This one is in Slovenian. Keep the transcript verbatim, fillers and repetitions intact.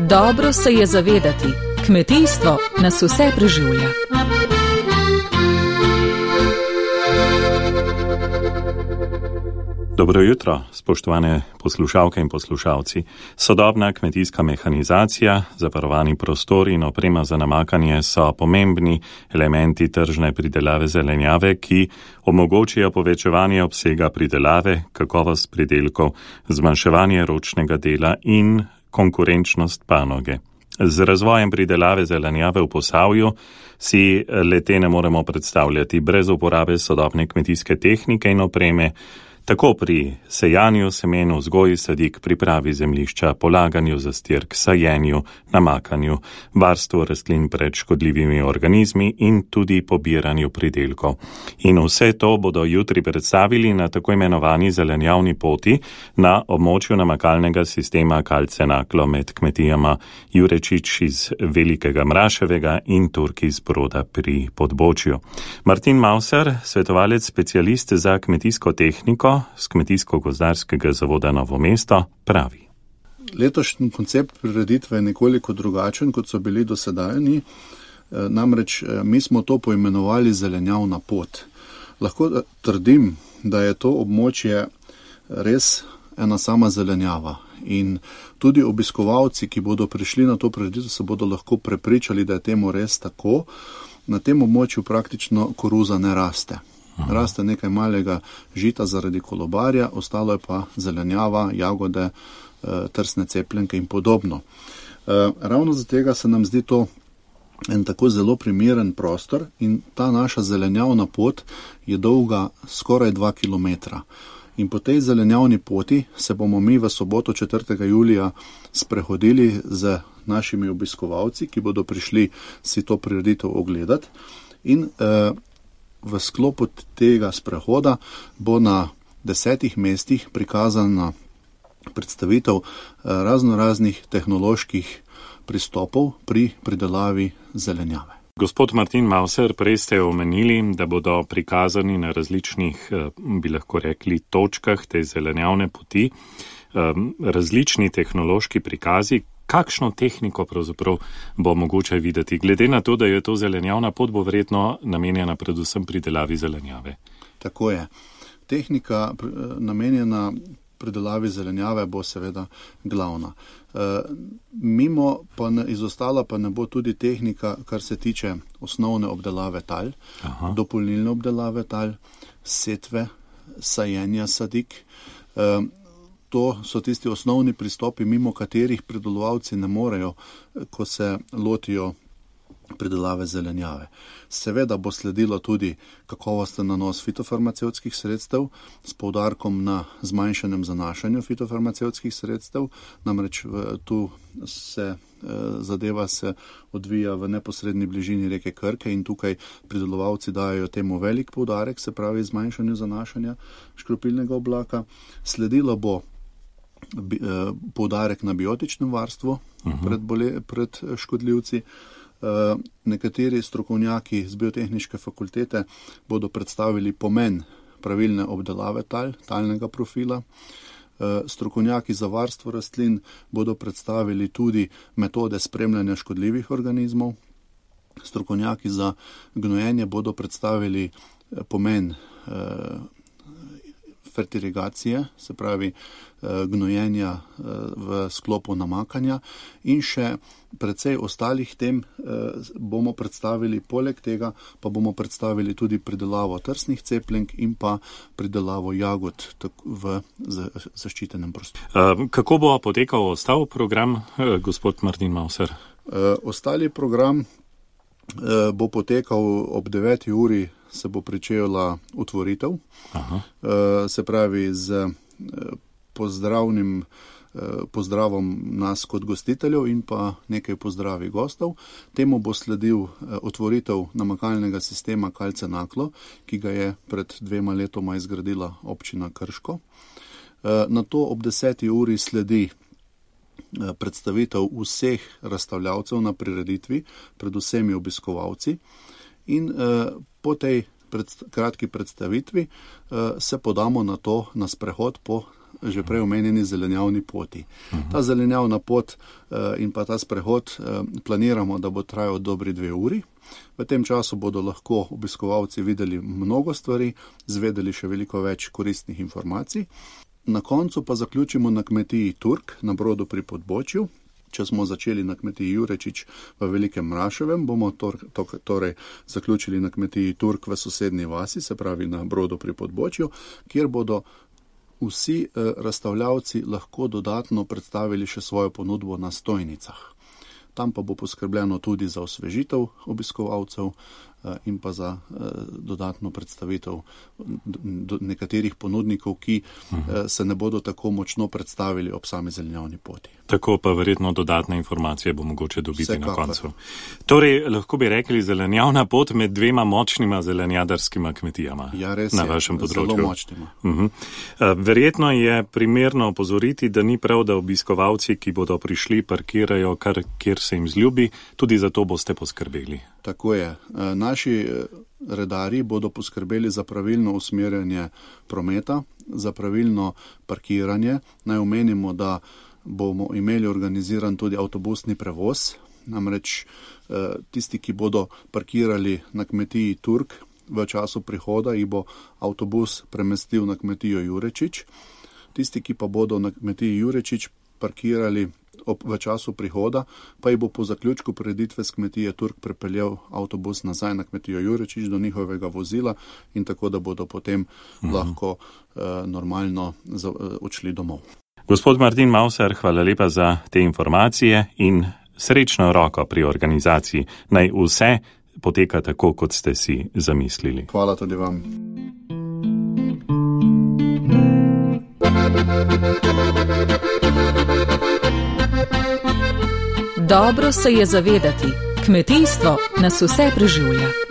Dobro se je zavedati, kmetijstvo nas vse preživlja. Dobro jutro, spoštovane poslušalke in poslušalci. Sodobna kmetijska mehanizacija, zavarovani prostori in oprema za namakanje so pomembni elementi tržne pridelave zelenjave, ki omogočijo povečevanje obsega pridelave, kakovost pridelkov, zmanjševanje ročnega dela in konkurenčnost panoge. Z razvojem pridelave zelenjave v Posavju si le-te ne moremo predstavljati brez uporabe sodobne kmetijske tehnike in opreme, tako pri sejanju semen, vzgoji sadik, pripravi zemljišča, polaganju zastirk, sajenju, namakanju, varstvu rastlin pred škodljivimi organizmi in tudi pobiranju pridelkov. In vse to bodo jutri predstavili na tako imenovani zelenjavni poti na območju namakalnega sistema Kalce-Naklo med kmetijama Jurečič iz Velikega Mraševega in Turk iz Broda pri Podbočju. Martin Mauser, svetovalec specialist za kmetijsko tehniko z Kmetijsko-gozdarskega zavoda Novo mesto, pravi. Letošnji koncept prireditve je nekoliko drugačen, kot so bili dosedajni. Namreč mi smo to poimenovali zelenjavna pot. Lahko trdim, da je to območje res ena sama zelenjava. In tudi obiskovalci, ki bodo prišli na to prireditev, se bodo lahko prepričali, da je temu res tako. Na tem območju praktično koruza ne raste. Raste nekaj malega žita zaradi kolobarja, ostalo je pa zelenjava, jagode, trsne cepljenke in podobno. Ravno zato tega se nam zdi to en tako zelo primeren prostor in ta naša zelenjavna pot je dolga skoraj dva kilometra. In po tej zelenjavni poti se bomo mi v soboto četrtega julija sprehodili z našimi obiskovalci, ki bodo prišli si to prireditev ogledati. In eh, v sklopu tega sprehoda bo na desetih mestih prikazana predstavitev razno raznih tehnoloških pristopov pri pridelavi zelenjave. Gospod Martin Mauser, prej ste omenili, da bodo prikazani na različnih, bi lahko rekli, točkah te zelenjavne poti, različni tehnološki prikazi. Kakšno tehniko pravzaprav bo mogoče videti? Glede na to, da je to zelenjavna pot, bo verjetno namenjena predvsem pridelavi zelenjave. Tako je. Tehnika namenjena pridelavi zelenjave bo seveda glavna. Mimo pa ne, izostala pa ne bo tudi tehnika, kar se tiče osnovne obdelave tal, Aha. dopolnilne obdelave tal, setve, sajenja sadik. To so tisti osnovni pristopi, mimo katerih pridelovalci ne morejo, ko se lotijo pridelave zelenjave. Seveda bo sledilo tudi kakovosten nanos fitofarmacevtskih sredstev s poudarkom na zmanjšanem zanašanju fitofarmacevtskih sredstev, namreč tu se zadeva se odvija v neposredni bližini reke Krke in tukaj pridelovalci dajo temu velik poudarek, se pravi zmanjšanju zanašanja škropilnega oblaka. Sledilo bo poudarek na biotičnem varstvu uh-huh. pred, bole, pred škodljivci. Nekateri strokovnjaki z biotehniške fakultete bodo predstavili pomen pravilne obdelave tal, talnega profila. Strokovnjaki za varstvo rastlin bodo predstavili tudi metode spremljanja škodljivih organizmov. Strokovnjaki za gnojenje bodo predstavili pomen fertirigacije, se pravi gnojenja v sklopu namakanja in še precej ostalih tem bomo predstavili. Poleg tega pa bomo predstavili tudi pridelavo trsnih cepljenk in pa pridelavo jagod v zaščitenem prostoru. Kako bo potekal ostal program, gospod Martin Mauser? Ostali program bo potekal ob deveti uri, se bo pričela otvoritev, Aha. se pravi z pozdravnim pozdravom nas kot gostiteljev in pa nekaj pozdravi gostov. Temu bo sledil otvoritev namakalnega sistema Kalce-Naklo, ki ga je pred dvema letoma izgradila občina Krško. Nato ob deseti uri sledi predstavitev vseh razstavljavcev na prireditvi, predvsem obiskovalci. In po tej pred, kratki predstavitvi se podamo na to, na sprehod po že prej omenjeni zelenjavni poti. Ta zelenjavna pot in pa ta sprehod planiramo, da bo trajal dobri dve uri. V tem času bodo lahko obiskovalci videli mnogo stvari, zvedeli še veliko več koristnih informacij. Na koncu pa zaključimo na kmetiji Turk na Brodu pri Podbočju. Če smo začeli na kmetiji Jurečič v Velikem Mraševem, bomo tor, to, torej zaključili na kmetiji Turk v sosednji vasi, se pravi na Brodu pri Podbočju, kjer bodo vsi eh, razstavljavci lahko dodatno predstavili še svojo ponudbo na stojnicah. Tam pa bo poskrbljeno tudi za osvežitev obiskovalcev in pa za dodatno predstavitev nekaterih ponudnikov, ki se ne bodo tako močno predstavili ob sami zelenjavni poti. Tako pa verjetno dodatne informacije bo mogoče dobiti Vsekakor. Na koncu. Torej, lahko bi rekli zelenjavna pot med dvema močnima zelenjadarskima kmetijama ja, res na je, vašem področju. Zelo močnima. Uh-huh. Verjetno je primerno opozoriti, da ni prav, da obiskovalci, ki bodo prišli, parkirajo kar kjer se jim zljubi, tudi za to boste poskrbeli. Tako je. Naši redarji bodo poskrbeli za pravilno usmerjanje prometa, za pravilno parkiranje. Naj omenimo, da bomo imeli organiziran tudi avtobusni prevoz, namreč tisti, ki bodo parkirali na kmetiji Turk v času prihoda, jih bo avtobus premestil na kmetijo Jurečič. Tisti, ki pa bodo na kmetiji Jurečič parkirali ob, v času prihoda, pa jih bo po zaključku prireditve s kmetije Turk prepeljal avtobus nazaj na kmetijo Jurečič do njihovega vozila in tako, da bodo potem uh-huh. lahko uh, normalno za, uh, odšli domov. Gospod Martin Mauser, hvala lepa za te informacije in srečno roko pri organizaciji. Naj vse poteka tako, kot ste si zamislili. Hvala tudi vam. Dobro se je zavedati, kmetijstvo nas vse preživlja.